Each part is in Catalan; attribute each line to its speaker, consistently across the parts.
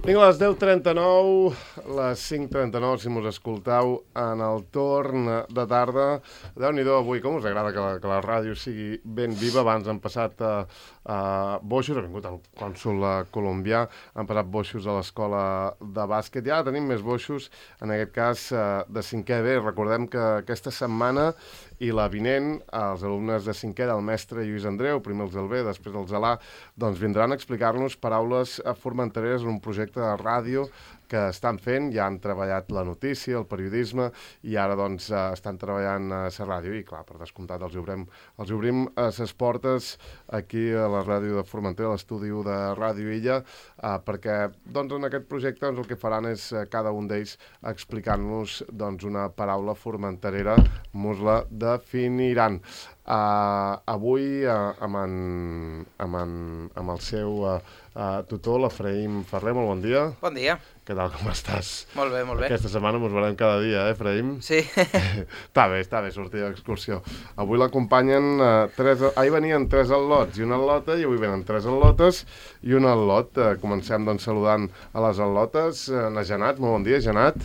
Speaker 1: Vinga, a les 10:39, les 5:39, si mos escolteu en el torn de tarda. Déu-n'hi-do avui, com us agrada que la ràdio sigui ben viva. Abans han passat boixos, ha vingut el cònsol colombià, han passat boixos a l'escola de bàsquet, i ara tenim més boixos, en aquest cas de 5è B. Recordem que aquesta setmana i la vinent, els alumnes de 5è del mestre Lluís Andreu, primer els del B, després els de l'A, doncs vindran a explicar-nos paraules formentereres en un projecte de ràdio que estan fent. Ja han treballat la notícia, el periodisme, i ara doncs estan treballant a la ràdio, i clar, per descomptat els obrim a les portes aquí a la ràdio de Formentera, a l'estudi de Ràdio Illa, perquè doncs en aquest projecte doncs, el que faran és cada un d'ells explicant-nos doncs una paraula formenterera, mos la definiran. Avui amb el seu tutor, l'Efraïm Ferrer. Molt bon dia.
Speaker 2: Bon dia.
Speaker 1: Què tal, com estàs?
Speaker 2: Molt bé, molt bé.
Speaker 1: Aquesta setmana mos veurem cada dia, Efraïm?
Speaker 2: Sí.
Speaker 1: Està bé sortir d'excursió. Avui l'acompanyen ahir venien 3 al·lots i una al·lota, i avui venen 3 al·lotes i un al·lot. Comencem doncs saludant a les al·lotes. Na Janat, molt bon dia, Janat.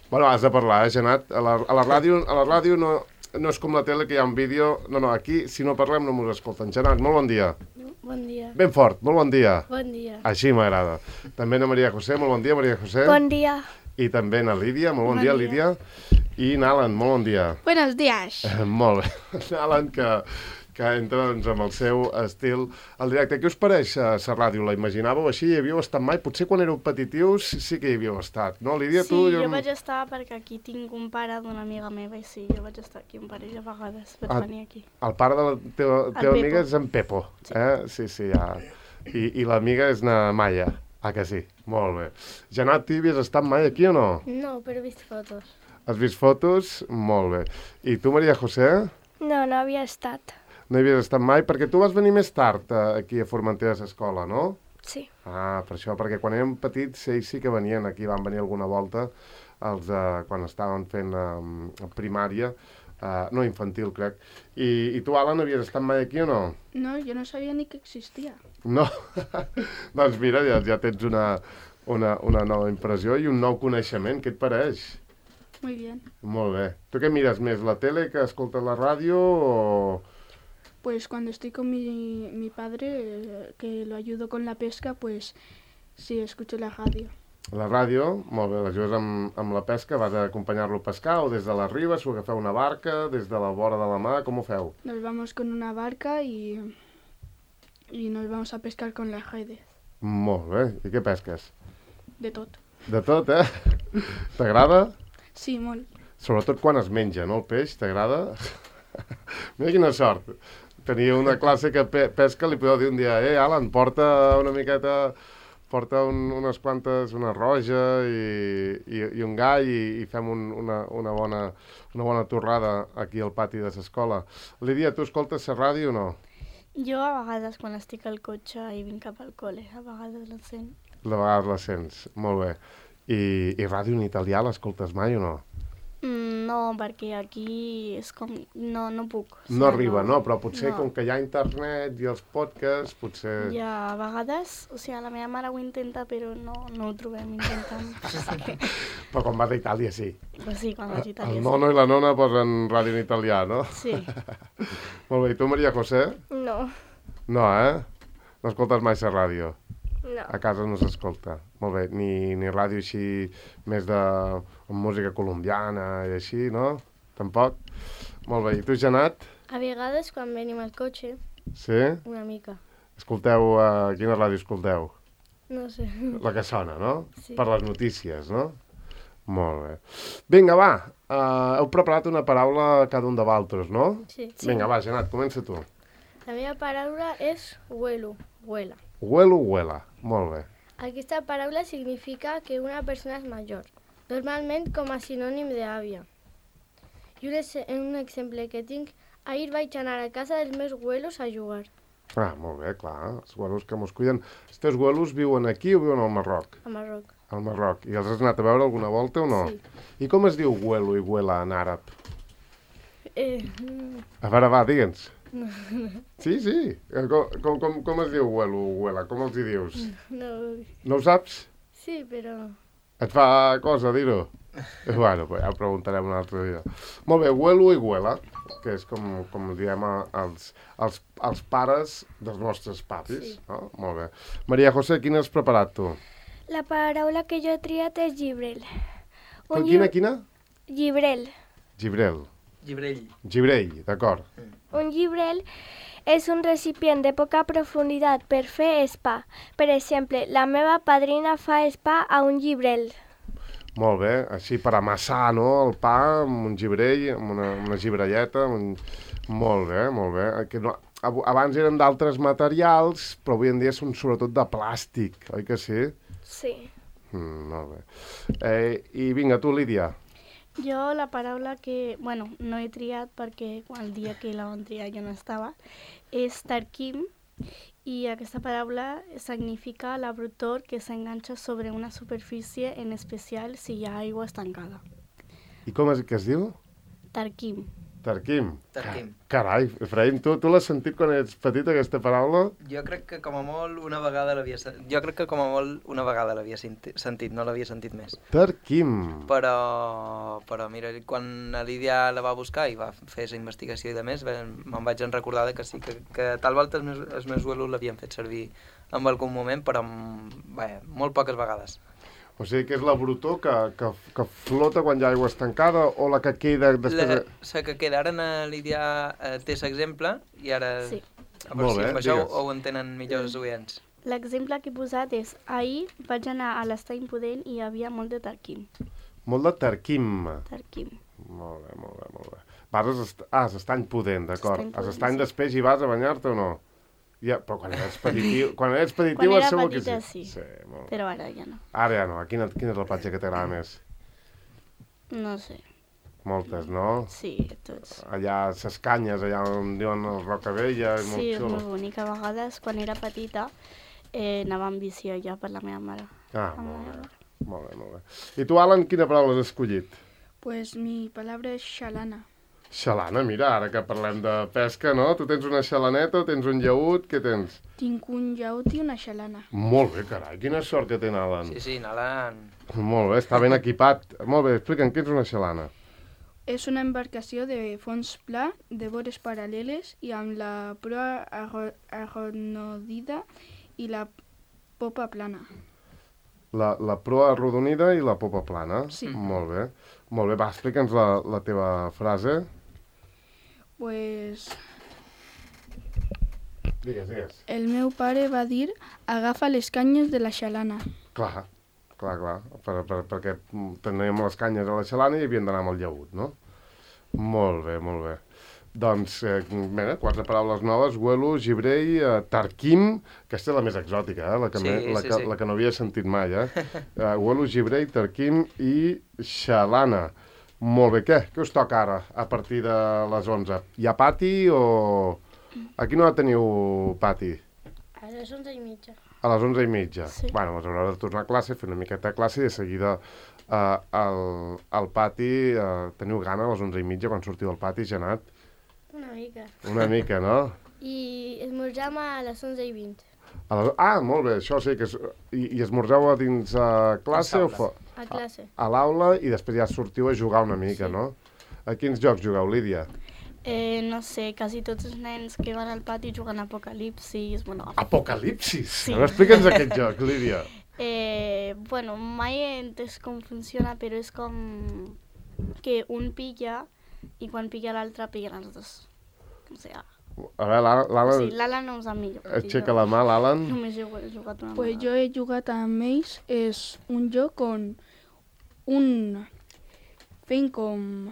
Speaker 1: Bueno, has de parlar, Janat. A la ràdio no és com la tele, que hi ha un vídeo. No, aquí, si no parlem, no mos escolten. Janat, molt bon dia.
Speaker 3: Bon dia.
Speaker 1: Ben fort, molt bon dia.
Speaker 3: Bon dia.
Speaker 1: Així m'agrada. També na Maria José, molt bon dia, Maria José.
Speaker 3: Bon dia.
Speaker 1: I també na Lídia, molt bon dia, Lídia. I n'Alan, molt bon dia.
Speaker 3: Buenos días.
Speaker 1: Molt bé. N'Alan, que entra doncs, amb el seu estil al directe. Què us pareix la ràdio? La imaginàveu així? Hi havíeu estat mai? Potser quan éreu petitius sí que hi havíeu estat, no, Lídia?
Speaker 3: Sí, jo vaig estar perquè aquí tinc un pare d'una amiga meva, i sí, jo vaig estar aquí un parell de vegades, vaig venir aquí.
Speaker 1: El pare de la teva amiga és en Pepo, eh? Sí, ja. I l'amiga és na Maya. Que sí? Molt bé. Janat, tu hi havies estat mai aquí o no?
Speaker 3: No, però he vist fotos.
Speaker 1: Has vist fotos? Molt bé. I tu, Maria José?
Speaker 3: No havia estat.
Speaker 1: No hi havies estat mai, perquè tu vas venir més tard aquí a Formentera a l'escola, no?
Speaker 3: Sí.
Speaker 1: Per això, perquè quan érem petits ells sí que venien aquí, van venir alguna volta quan estaven fent primària, no, infantil, crec. I tu, Alan, havies estat mai aquí o no?
Speaker 4: No, jo no sabia ni que existia.
Speaker 1: No? Doncs mira, ja tens una nova impressió i un nou coneixement. Què et pareix?
Speaker 4: Muy bien.
Speaker 1: Molt bé. Tu què mires més, la tele, que escoltes la ràdio o...?
Speaker 4: Pues cuando estoy con mi padre, que lo ayudo con la pesca, pues sí, escucho la radio.
Speaker 1: La ràdio, molt bé, l'ajudes amb la pesca, vas a acompanyar-lo a pescar o des de la riba, s'ho agafeu una barca, des de la vora de la mà, com ho feu?
Speaker 4: Nos vamos con una barca y nos vamos a pescar con las redes.
Speaker 1: Molt bé, i què pesques?
Speaker 4: De tot.
Speaker 1: De tot, eh? T'agrada?
Speaker 4: Sí, molt.
Speaker 1: Sobretot quan es menja, no, el peix, t'agrada? Mira quina sort. Tenia una classe que pesca, li podeu dir un dia, Alan, porta una miqueta, porta unes quantes, una roja i un gall i fem una bona torrada aquí al pati de l'escola. Lídia, tu escoltes la ràdio o no?
Speaker 3: Jo a vegades, quan estic al cotxe i vinc cap al col·le, a vegades la sent.
Speaker 1: De vegades la sents, molt bé. I ràdio en italià l'escoltes mai o no?
Speaker 3: No, perquè aquí és com... No puc.
Speaker 1: No arriba, no? Però potser com que hi ha internet i els podcasts, potser...
Speaker 3: Ja, a vegades, la meva mare ho intenta, però no ho trobem intentant.
Speaker 1: Però quan vas a Itàlia, sí.
Speaker 3: Però sí, quan vaig a Itàlia, sí.
Speaker 1: El nono i la nona posen ràdio en italià, no?
Speaker 3: Sí.
Speaker 1: Molt bé, i tu, Maria José?
Speaker 3: No.
Speaker 1: No, eh? No escoltes mai la ràdio?
Speaker 3: No.
Speaker 1: A casa no s'escolta. Molt bé, ni ràdio així més de música colombiana i així, no? Tampoc? Molt bé, i tu, Janat?
Speaker 3: A vegades, quan venim al cotxe,
Speaker 1: sí?
Speaker 3: Una mica.
Speaker 1: Escolteu, quina ràdio escolteu?
Speaker 3: No sé.
Speaker 1: La que sona, no?
Speaker 3: Sí.
Speaker 1: Per les notícies, no? Molt bé. Vinga, va, heu preparat una paraula cada un de vosaltres, no?
Speaker 3: Sí.
Speaker 1: Vinga, va, Janat, comença tu.
Speaker 3: La meva paraula és huelo, huela.
Speaker 1: Huelo, huela, molt bé.
Speaker 3: Aquesta paraula significa que una persona és major, normalment com a sinònim d'àvia. I un exemple que tinc, ahir vaig anar a casa dels meus huelos a jugar.
Speaker 1: Molt bé, clar, els huelos que mos cuiden. Els teus huelos viuen aquí o viuen al Marroc?
Speaker 3: A Marroc.
Speaker 1: Al Marroc. I els has anat a veure alguna volta o no?
Speaker 3: Sí.
Speaker 1: I com es diu huelo i huela en àrab?
Speaker 3: A
Speaker 1: veure, va, digue'ns. Sí, sí. Com es diu huelo, huela? Com els hi dius?
Speaker 3: No,
Speaker 1: No ho saps?
Speaker 3: sí, però...
Speaker 1: Et fa cosa dir-ho? Bueno, pues ja ho preguntarem un altre dia. Molt bé, huelo i huela, que és com diem els pares dels nostres papis.
Speaker 3: Sí.
Speaker 1: No? Molt bé. Maria José, quina has preparat tu?
Speaker 2: La paraula que jo he triat és llibrel.
Speaker 1: Quina?
Speaker 2: Llibrel.
Speaker 1: Gibrel.
Speaker 5: Llibrell.
Speaker 1: Gibrell, d'acord.
Speaker 2: Un llibrel és un recipient de poca profunditat per fer spa. Per exemple, la meva padrina fa spa a un llibrel.
Speaker 1: Molt bé, així per amassar, no?, el pa amb un gibrell, amb una gibrelleta. Molt bé, molt bé. Que no, abans eren d'altres materials, però avui en dia són sobretot de plàstic, oi que sí?
Speaker 2: Sí.
Speaker 1: Molt bé. I vinga, tu, Lídia.
Speaker 4: Jo la paraula que, no he triat perquè el dia que la vam triar jo no estava, és tarquim, i aquesta paraula significa l'abrutor que s'enganxa sobre una superfície, en especial si hi ha aigua estancada.
Speaker 1: I com és que es diu?
Speaker 4: Tarquim.
Speaker 1: Tarquim.
Speaker 5: Tarquim.
Speaker 1: Carai, Efraïm, tu l'has sentit quan ets petit, aquesta paraula?
Speaker 5: Jo crec que com a molt una vegada l'havia sentit, no l'havia sentit més.
Speaker 1: Tarquim.
Speaker 5: Però mira, quan la Lídia la va buscar i va fer aquesta investigació i de més, me'n vaig recordar que sí, que tal volta els meus abuelos l'havien fet servir en algun moment, però molt poques vegades.
Speaker 1: O sigui que és la brutor que flota quan hi ha aigua estancada o la que queda després...
Speaker 5: La que queda, ara la Lídia té l'exemple i ara...
Speaker 4: Sí.
Speaker 1: Molt bé,
Speaker 5: amb això
Speaker 1: digues.
Speaker 5: ho entenen millor els oients.
Speaker 4: L'exemple que he posat és, ahir vaig anar a l'Estany Pudent i hi havia molt de tarquim.
Speaker 1: Molt de tarquim.
Speaker 4: Tarquim.
Speaker 1: Molt bé, molt bé, molt bé. Vas a Estany Pudent, d'acord.
Speaker 4: Estany
Speaker 1: A
Speaker 4: Pudent,
Speaker 1: l'Estany
Speaker 4: sí.
Speaker 1: després hi vas a banyar-te o no? Ja, però quan eres petitiu,
Speaker 4: Quan era
Speaker 1: segur que
Speaker 4: petita,
Speaker 1: sí.
Speaker 4: sí.
Speaker 1: Molt bé.
Speaker 4: Però ara ja no.
Speaker 1: Ara ja no. Quina és la platja que t'agrada més?
Speaker 4: No sé.
Speaker 1: Moltes, no?
Speaker 4: Sí, tots.
Speaker 1: Allà, ses canyes, allà on diuen el Rocabella, és molt
Speaker 4: Sí, és
Speaker 1: xulo.
Speaker 4: molt bonic. A vegades, quan era petita, anava amb bici allà per la meva mare.
Speaker 1: Ah, molt bé. Molt bé, molt bé. I tu, Alan, quina paraula has escollit?
Speaker 4: Pues mi palabra és xalana.
Speaker 1: Xalana, mira, ara que parlem de pesca, no? Tu tens una xalaneta o tens un llaüt? Què tens?
Speaker 4: Tinc un llaüt i una xalana.
Speaker 1: Molt bé, carai, quina sort que té Alan.
Speaker 5: Sí, Nalan.
Speaker 1: Molt bé, està ben equipat. Molt bé, explica'm, què és una xalana?
Speaker 4: És una embarcació de fons pla, de vores paral·leles i amb la proa arrodonida i la popa plana.
Speaker 1: La proa arrodonida i la popa plana?
Speaker 4: Sí.
Speaker 1: Molt bé. Molt bé, va, explica'ns la teva frase.
Speaker 4: Pues
Speaker 1: Digues.
Speaker 4: el meu pare va dir agafa les canyes de la xalana.
Speaker 1: Clar, perquè teníem les canyes a la xalana i havíem d'anar amb el llaüt, no? Molt bé, molt bé. Doncs, mira, 4 paraules noves, huelo, gibrell, tarquim, aquesta és la més exòtica, la que no havia sentit mai, huelo, gibrell, tarquim i xalana. Molt bé, què us toca ara, a partir de les 11? Hi ha pati o... A quina hora teniu pati?
Speaker 3: A les 11:30.
Speaker 1: A les 11:30.
Speaker 4: Sí.
Speaker 1: Bueno, us haurà de tornar a classe, fer una miqueta de classe i de seguida al pati, teniu gana a les 11:30 quan sortiu al pati, Janat?
Speaker 3: Una mica.
Speaker 1: Una mica, no?
Speaker 3: I esmorzam a les 11:20.
Speaker 1: Molt bé, això sí que és... I esmorzeu a dins classe o fora?
Speaker 3: A classe.
Speaker 1: A l'aula i després ja sortiu a jugar una mica, no? A quins jocs jugueu, Lídia?
Speaker 4: No sé, quasi tots els nens que van al pati juguen a Apocalipsis.
Speaker 1: Apocalipsis?
Speaker 4: Sí.
Speaker 1: Explica'ns aquest joc, Lídia.
Speaker 4: Mai he entès com funciona, però és com que un pilla i quan pilla l'altre pillen els dos. O sigui,
Speaker 1: A veure, l'Alan...
Speaker 4: sí, l'Alan no ho sap millor.
Speaker 1: Aixeca la mà, l'Alan.
Speaker 4: Només he jugat una
Speaker 6: Pues
Speaker 4: vegada.
Speaker 6: jo he jugat amb ells, és un joc on fent com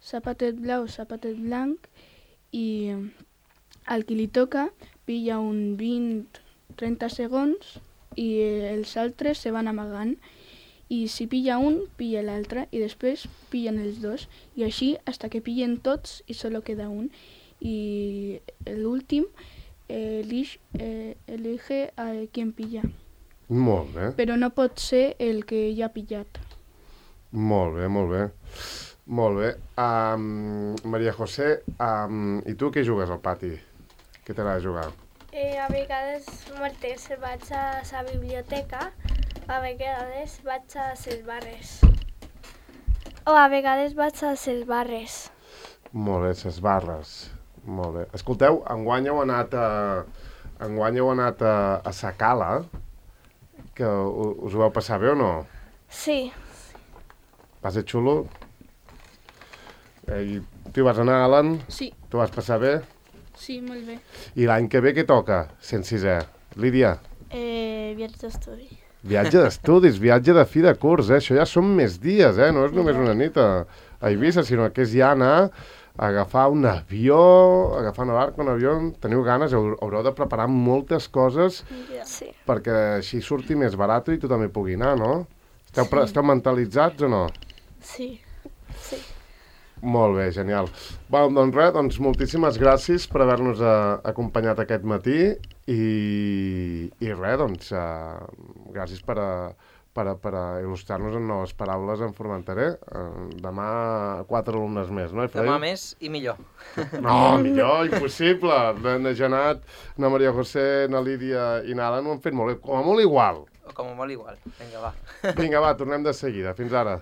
Speaker 6: zapatet blau, zapatet blanc, i al qui li toca pilla un 20-30 segons i els altres se van amagant. I si pilla un, pilla l'altre, i després pillen els dos, i així hasta que pillen tots i solo queda un. I l'últim elige a qui pilla,
Speaker 1: Molt bé,
Speaker 6: però no pot ser el que ja ha pillat.
Speaker 1: molt bé, molt bé. Molt bé. Maria José, i tu què jugues al pati? Què t'agrada jugar?
Speaker 2: A vegades martes vaig a la biblioteca, a vegades vaig a les barres. O a vegades vaig a les barres.
Speaker 1: Molt bé, les barres. Molt bé. Escolteu, enguany heu anat a sa cala, que us ho vau passar bé o no?
Speaker 2: Sí,
Speaker 1: Va ser xulo? I tu hi vas anar, Alan?
Speaker 6: Sí,
Speaker 1: Tu vas passar bé?
Speaker 6: sí, molt bé.
Speaker 1: I l'any que ve què toca? 106è. Lídia?
Speaker 4: Viatge d'estudi.
Speaker 1: Viatge d'estudis, viatge de fi de curs, Això ja són més dies, No és només una nit a Eivissa, sinó que és ja anar a agafar un avió, agafar una barca, un avió. Teniu ganes, haureu de preparar moltes coses
Speaker 2: sí.
Speaker 1: perquè així surti més barat i tothom hi pugui anar, no? Esteu mentalitzats o no?
Speaker 4: Sí.
Speaker 1: Molt bé, genial. Doncs res, moltíssimes gràcies per haver-nos acompanyat aquest matí i res, gràcies per il·lustrar-nos en noves paraules en Formenterè. Demà 4 alumnes més, no?
Speaker 5: Demà més i millor.
Speaker 1: No, millor, impossible. Na Janat, na Maria José, na Lídia i na Alan ho han fet molt bé, com a molt igual.
Speaker 5: O com a molt igual. Vinga, va.
Speaker 1: Vinga, va, tornem de seguida. Fins ara.